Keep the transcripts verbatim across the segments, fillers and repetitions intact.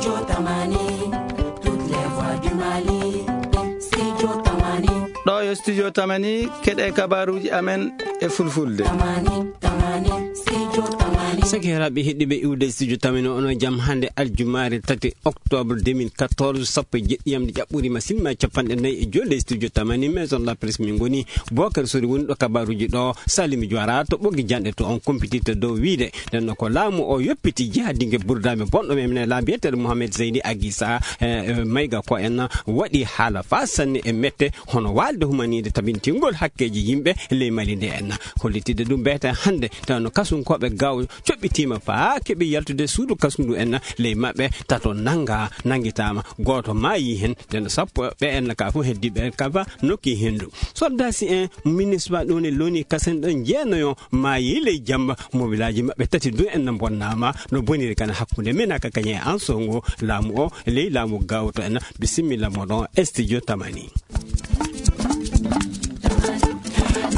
Tamani, toutes les voix du Mali. Studio Tamani. Ɗo yo Studio Tamani, keɗe kabaruji amen e fulfulde. Tamani, Tamani, Studio Tamani. Sakiraɓe heɗɗuɓe iwde Studio Tamani, ono jam hande aljumaare tati octobre deux mille quatorze, sappo e jeɗɗi yamde ƴaɓɓuri ma sinma capanɗe nayi e joyi. Studio Tamani, Maison de la Presse min goni. Bokar Sori woni ɗo kabaruji ɗo, Salimi Juwara to ɓoggi janɗe to on compititto dow wiide. Nden no ko laamu o yoppiti jihadinge burdaɓe bonɗo men, men la mbiyeteɗo Mohamed Zeyni Agisa, eh, eh, Mayga ko en waɗi haala fa sanne e mette, hono walde humanide tabintingol hakkeji yimɓe ley Mali nde en. Hollitide ɗum beete hande, taw no kasunkoɓe gaw coɓɓitima fa keɓi yaltude suudu kasundu en ley maɓɓe tato nanga, nangitama. Goto maayi hen, nden sappo ɓe en ka fof heddiɓe ka fa nokki hendu. Soldasi en, minisma ɗon e loni kasen ɗon jeenayo maayi ley jamba, mobilaaji maɓɓe tati du en no bonnama, no boniri kana hakkunde men aka kañe an songo laamu o, ley laamu gawto en. Bisimilla moɗon, Studio Tamani.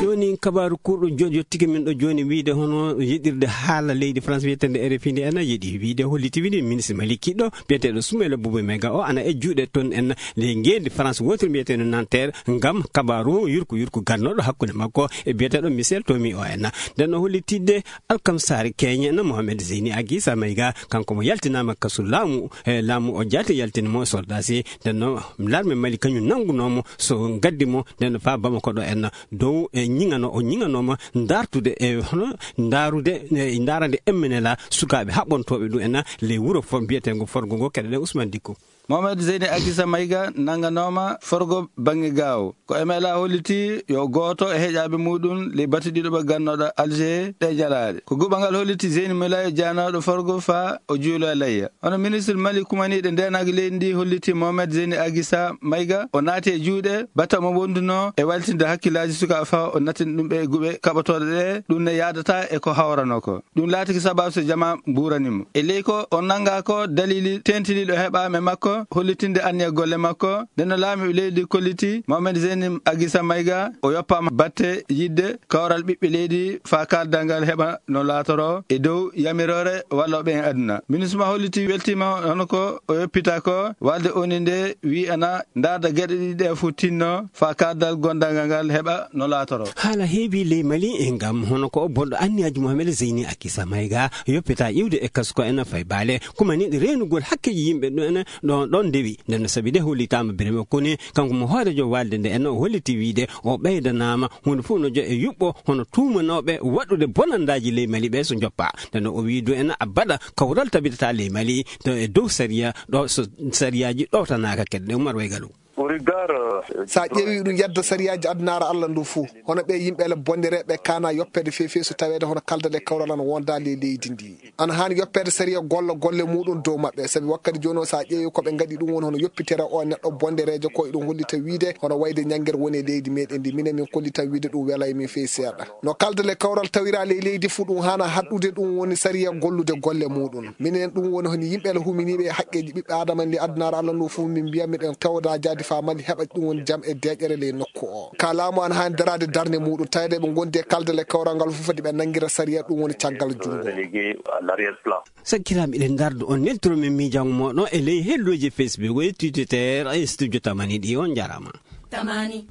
Joni kabaru kurɗo joni yottike min ɗo joni wiide hono yeɗirde haala leydi France wiyetende R F I nde ena yeɗi wiide holliti wini ministre Mali kiɗɗo biyeteɗo Soumaïla Boubou Maïga o ana e juuɗe ton en le ngendi France wotiri mbiyeteɗo Nanterre ngam kabaru yurku yurku gannoɗo hakkunde makko e biyeteɗo Michel Tomi o en. Nden no hollitidde Alkam Sari Keñe na Mohamed Zeyni Agisa Maïga, kanko mo yaltinama kasu laamu, e laamu o jaati yaltini mo soldasi. Nden no larme Mali kañum nangunomo so gaddi mo nden no fa Bamako ɗo en dow e ñiŋano, o ñiŋanoma dartude e hono ndarude e ndarande M N L A sukaaɓe haɓɓontooɓe ɗum en ley wuro fo-, mbiyetengo Forgo ngo. Keɗoɗen Ousmane Dikko. Mohamed Zeyni Agisa Maïga nanganoma Forgo bange Gaawo. Ko M L A holliti yo gooto e heƴaaɓe muɗum ley batu ɗiɗo ɓe gannoɗo Alger ɗe jalaale. Ko guɓangal holliti Zeyni Mulaye jaanoɗo Forgo fa o juulo e layya. Hono ministre Mali kumaniiɗo ndeenaange leydi ndi holliti Mohamed Zeyni Agisa Maïga o naati e juuɗe batta mo wonduno e waltinde hakkillaaji sukaaɓe fa o nattina ɗum ɓe e guɓe kaɓotooɗe ɗe, ɗum ne yaadata e ko hawrano ko. Ɗum laatiki sababu so jama mbuurani mo. E ley ko o nanngaa ko, dalili teentiniiɗo heɓaama e makko, hollitinde anniya golle makko. Nden no laamiiɓe leydi kolliti, Mohamed Zeyni Agisa Maïga, o yoppaama batte yiɗde kawral ɓiɓɓe leydi faa kaaldal ngal heɓa no laatoro e dow yamiroore wallooɓe en aduna. Minisma holliti weltiima hono ko o yoppita ko, walde O N U nde wi'ana ndaarda geɗe ɗiɗi ɗe fof tinno faa kaaldal gondangal ngal heɓa no laatoro. Haala heewi ley Mali e ngam hono ko bonɗo anniyaaji Mohamed Zeyni Akisa Maïga yoppita iwde e kasko en fay baale kumaniiɗo reenugol hakkeeji yimɓe ɗo en ɗon, ɗon ndewi. Nden no sabi de hollitaama Birame Kone, kanko mo hooreejo walde nde en o holliti wiide o ɓeydanaama huunde fof no jo e yuɓɓo hono tuumanooɓe waɗude bonandaaji ley Mali ɓe so njoppa. Nden no o wii du en a baɗa kawral tabitata ley Mali to e dow sariya ɗo so sariyaaji ɗowtanaaka kedde. Umar Waygalu. Au regard, euh, Sa ƴeewi ɗum yadda sariyaaji addunaara Allah ndu fuu, hono ɓe yimɓe ele bondereeɓe kana yoppede feefeesu taweede hono kaldal e kawral ana wonda ley leydi ndi. Ana haani yoppede sariya golla golle muɗum dow maɓɓe, sabi wakkati jooni o sa ƴeewi ko ɓe ngaɗi ɗum woni hono yoppitere o neɗɗo bondereejo ko eɗum hollita wiide hono wayde ñanngere woni e leydi meɗen ndi. Minen min kollita wiide ɗum welay min fey seeɗa. No kaldal e kawral tawira ley leydi fuu ɗum haana haɗɗude ɗum woni sariya gollude golle muɗum. Minen ɗum woni hono yimɓe ele huminiiɓe e haqqeeji ɓiɓɓe Aadama en ley addunaare Allah ndu fuu min mbiya miɗen tawda jaadi faa Mali heɓa ɗum woni jam e deeƴere ley nokku o. Ka laamu ana haani daraade darnde muɗum tawde ɓe ngondi e kaldal e kawral ngal fuu foti ɓe nanngira sariya ɗum woni caggal junngo. Relégué à l'arrière-plan. Sakkiraaɓe eɗen ngarda on neltoro men miijango moɗon e ley helloji Facebook e Twitter e studio tamani ɗi on jarama. Tamani.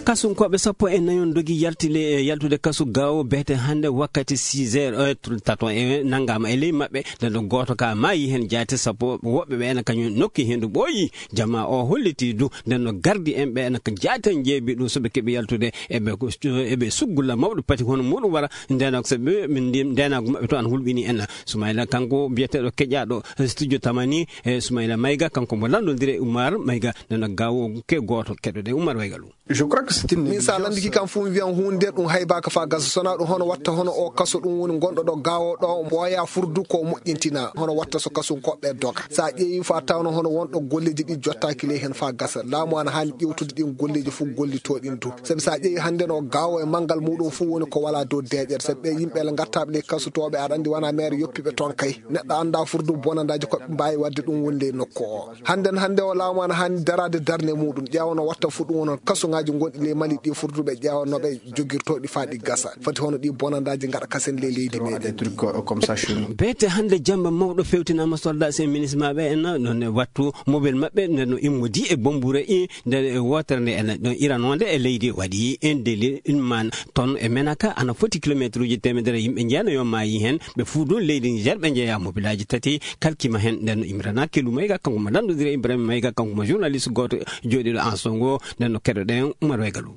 Kasunkoɓe sappo e nayon dogi yalti le-, yaltude kasu gawo beete hannde wakkati six heures, eh, tato e nanngama e ley maɓɓe. Nden ɗo gooto ka maayi heen jaati sappo woɓɓe ɓe ene kañum nokki heen ɗo ɓooyi. Jama o holliti du nden no gardi en ɓe ene ko jaati en jeebi ɗum so ɓe keɓi yaltude eɓe ko, eɓe suggulla mawɗo pati hono muɗum wara. Nden so ɓe min ndi-, ndenagu maɓɓe to an hulɓini en. Sumayla kanko biyeteɗo keƴaɗo studio tamani e Sumayla Mayga kanko mo lanndondire Umar Mayga. Nden no gawo ke gooto keɗoɗe Umar Waygalu. Je crois que c'est une négligence. Min sa landiki kam fof mi wiyan huunde nde ɗum haybaka fa gasa sona ɗum hono watta hono o kaso ɗum woni gonɗo ɗo gawo ɗo ɓooya furdu ko moƴƴintina hono watta so kasunkoɓe doga. Sa ƴeewi fa tawno hono wonɗo golleji ɗi jottaki ley hen fa gasa. Laamu ana haani ƴewtude ɗin golleji fof gollito ɗin du. Sabi sa ƴeewi hannde no gawo e manngal muɗum fof woni ko wala dow deeƴere. Sabi ɓe yimɓe ele gattaɓe ley kasutoɓe aɗa andi wona maire yoppiɓe toon kay. Neɗɗo anda furdu bonandaji ko ɓe mbawi wadde ɗum woni ley nokku o. Hannde hannde o laamu ana haani darade darnde muɗum. Ƴeewa no watta fof ɗum woni on kasuŋaji gonɗi Ley Mali ɗi furduɓe ƴeewa no ɓe jogirtoo ɗi faa ɗi gasa. Foti hono ɗi bonandaaji ngaɗa kasen ley leydi meɗen. Beete hannde jamba mawɗo fewtinaama soldat sen minisma ɓe en, noon wattu mobel maɓɓe nde no immodi e bombure i nde wootere nde en ɗon iranoonde e leydi waɗi en deli man ton e Menaka ana foti kilomeetruuji teemedere yimɓe njeena yo maayi heen. Ɓe fuu ɗum leydi Niger ɓe njeeya mobilaaji tati kalkima heen. Nden no Imrana Kelu Mayga, kanko mo lanndodira Ibrahima Mayga, kanko mo journaliste gooto jooɗiiɗo en songo. Nden no keɗoɗen Umar Waygalu.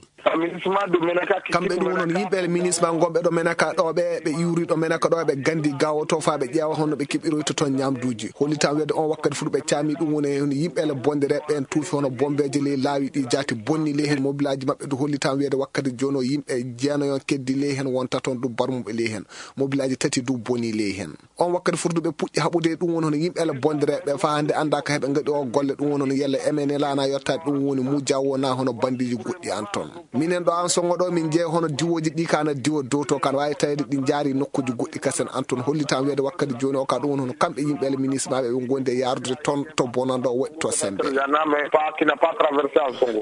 Kamɓe ɗum woni yimɓe le minisma gonɓe ɗo Menaka ɗo ɓe ɓe iwri ɗo Menaka ɗo ɓe gandi gawo to fa ɓe ƴeewa honno ɓe keɓiroyta toon ñamduuji. Hollitan weede on wakkati fuɗu ɓe caami ɗum woni e yimɓe le bonde reɓɓe en tuufi hono bombeeje ley laawi ɗi jaati bonni ley heen mobilaaji maɓɓe du hollitan weede wakkati jooni o yimɓe jeenayon keddi ley heen wonta toon du barmuɓe ley heen mobilaaji tati du boni ley heen. On wakkati furduɓe puɗɗi haɓude e ɗum woni hono yimɓe le bondireɓe fa hannde annda ka heɓe ngaɗi o golle ɗum woni hono yalla emene laana yottaade ɗum woni mujja wona hono bandiji goɗɗi an toon. Minen ɗo an songo ɗo min jeeya hono diwoji ɗi kana diwo dow to kan wawi tawede ɗi jaari nokkuji goɗɗi kasen an toon hollitan weede wakkati joni o ka ɗum woni hono kamɓe yimɓe le ministre maɓe ɓe gondi e yarude toon to bonando waɗi to sembe.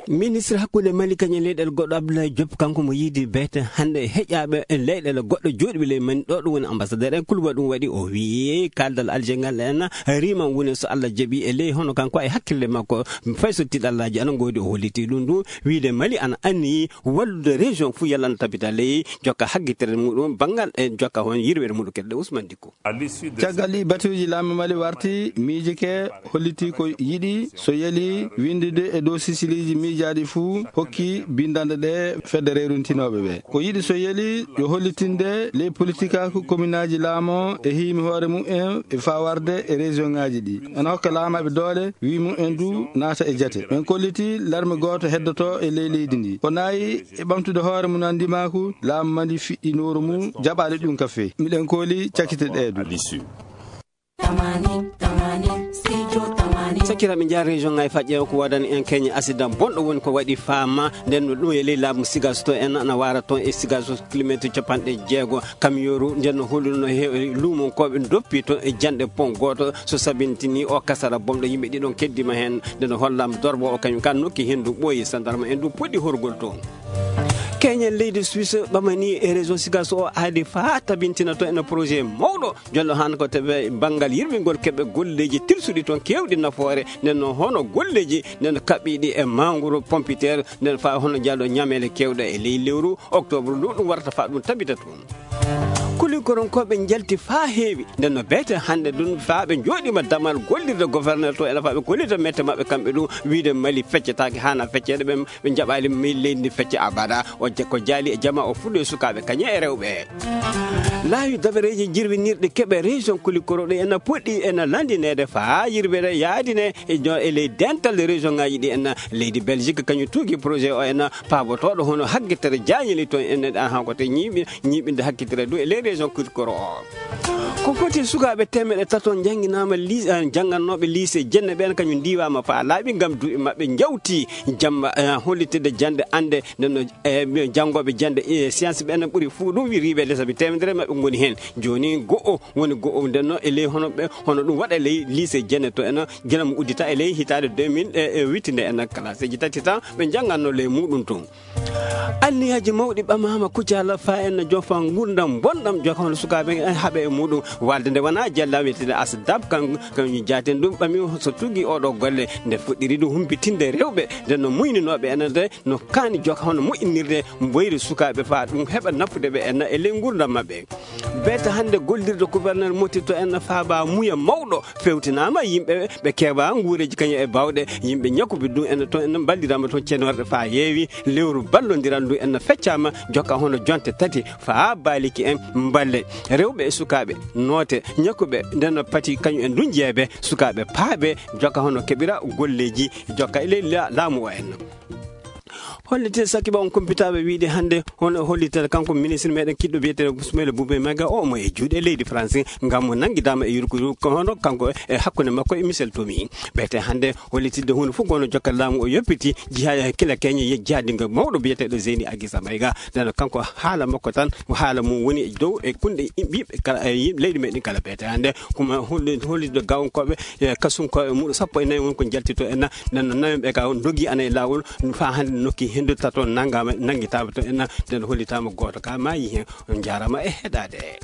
Ministre hakkunde Mali kañum leyɗel goɗɗo Abdoulaye Diop kanko mo yiidi beete hannde heƴaaɓe leyɗele goɗɗo jooɗiɓe ley Mali ɗo ɗum woni ambassadeur en kuluba ɗum waɗi o wii kaaldal Alger ngal en riman woni so Allah jaɓi e ley hono kanko e hakkille makko fay so tiɗallaaji ana ngoodi o holliti ɗum ɗum wiide Mali ana anniyi wallude région fuu yalla ana tabita ley jokka haggitere muɗum banngal e jokka hon yirwere muɗum kedde Ousmane Dicko. Caggal ɗi batuuji laamɓe Mali warti miijike holliti ko yiɗi so yeli winndude e dow sisiliiji miijaaɗi fuu hokki binndanɗe ɗe fedde reeruntinooɓe ɓe. Ko yiɗi so yeli yo hollitinde ley politikaaku kominaaji laamo e hiimi hoore mum en e faa warde e région ŋaaji ɗi. Ana hokka laamaaɓe doole wi mum en du naata e jate. Ɓen kolliti larme gooto heddoto e ley leydi ndi. O naayi e ɓamtude hoore mum anndimaaku laamu Mali fiɗɗinooro mum jaɓaade ɗum ka fee. Miɗen kooli cakite ɗee du. Sakiraaɓe njaar région ŋaaji fa ƴeewa ko waɗani en keñe accident bonɗo woni ko waɗi faama nden no ɗum e ley laamu sigaso to en ana waara toon e sigaso kilometre capanɗe jeego kamiyooru nden no holluno he luumonkooɓe doppi toon e janɗe pon gooto so sabintini o kasara bonɗo yimɓe ɗiɗon keddima heen nden no hollaama dorbo o kañum kan nokki henndu ɓooyi sandarma en du puɗɗi horgol toon. Keñen leydi Suisse ɓamani e région Sigaso o aadi faa tabintina to ene projet mawɗo jonɗo han ko teɓe banngal yirɓingol keɓe golleeji tilsuɗi toon keewɗi nafoore nden noon hono golleeji nden kaɓɓiɗi e mangoro pompiteer nden faa hono jaalɗo ñameele keewɗe e ley lewru octobre ndu ɗum warata faa ɗum tabita toon. Kulinkoronkooɓe njalti faa heewi nden no beete hannde ɗum faa ɓe njooɗiima damal gollirde gouverneur to ene faa ɓe gollirde mette maɓɓe kamɓe ɗum wiide Mali feccetaake haana fecceede ɓe ɓe njaɓaali mi leydi ndi fecce abada o je- ko jaali e jama o fuɗɗo e sukaaɓe kañe e rewɓe laawi dabareeji jirwinirɗi keɓe région kulikoro ɗi ena poɗɗi ena landineede faa yirwere yaadine e jo- e ley dental région ngaji ɗi ena leydi belgique kañum tuugi projet o ena paabotooɗo hono haggitere jaañeli toon ene ɗan hanko te ñiiɓi ñiiɓinde hakkitire du e ley région kulikoro o ko foti sukaaɓe temeɗe tato jannginaama janngatnooɓe lycée jenne ɓeen kañum ndiiwaama faa laaɓi ngam duuɓi maɓɓe njawti jamba hollitde jannde annde ndenno e janngooɓe jannde e science ɓeen ɓuri fuu ɗum wiriiɓe lesaɓi teemedere maɓɓe ngoni heen jooni go'o woni go'o ndenno e ley hono ɓe hono ɗum waɗa ley lycée jenne to eno gila mo uddita e ley hitaande deux mille e wittinde en classe ji tati tan ɓe njannganno ley muɗum toon Anniyaaji mawɗi ɓamaama kucala faa en no jofa nguurndam bonɗam joka hono sukaaɓe en haɓe e muɗum walde nde wona jella wiyetede asdab kan kan jaaten ɗum ɓami so tugi oɗo golle nde fuɗɗiri ɗum humpitinde rewɓe nde no muyninooɓe enen de no kaani joka hono moƴƴinirde mboyri sukaaɓe faa ɗum heɓa nafude ɓe en e ley nguurndam maɓɓe beeta hannde gollirde gouverneur moti to en faaba muya mawɗo fewtinaama yimɓe ɓe keewa nguureeji kañum e baawɗe yimɓe ñakuɓe ɗum en toon en mballiraama toon cenorɗe faa heewi lewru ballondiral ndu en feccaama jokka hono jonte tati faa baaliki en mballe rewɓe e sukaaɓe noote ñakuɓe nden pati kañum en ndun jeebe sukaaɓe paaɓe jokka hono keɓira golleeji jokka e ley laamu o en hollite sakiba on kumpitaaɓe wiide hannde hono hollitere kanko ministre meɗen kiɗɗo biyeteeɗo Ismaila Boubaye Maga o mo e juuɗe leydi France ngam mo nanngidaama e yurkuru ko hono kanko e hakkunde makko e Michel Tomi ɓeyte hannde hollitidde huunde fof ko hono jokkal laamu o yoppiti jiha kila keñe jihaadingo mawɗo biyeteeɗo Zeyni Agisa Mayga nden kanko haala makko tan ko haala mum woni e dow e kunɗe ɓiɓɓe kala e leydi meɗen kala ɓeyte hannde kuma hollitde gawonkooɓe e kasunkooɓe muɗo sappo e nayi woni ko jaltito en nden no nawiɓe ka dogi ana e laawol faa hannde nokki Ndu tato nangama nangi taba to ena den holi tama goto ka mayi hen. On jarama e hedade.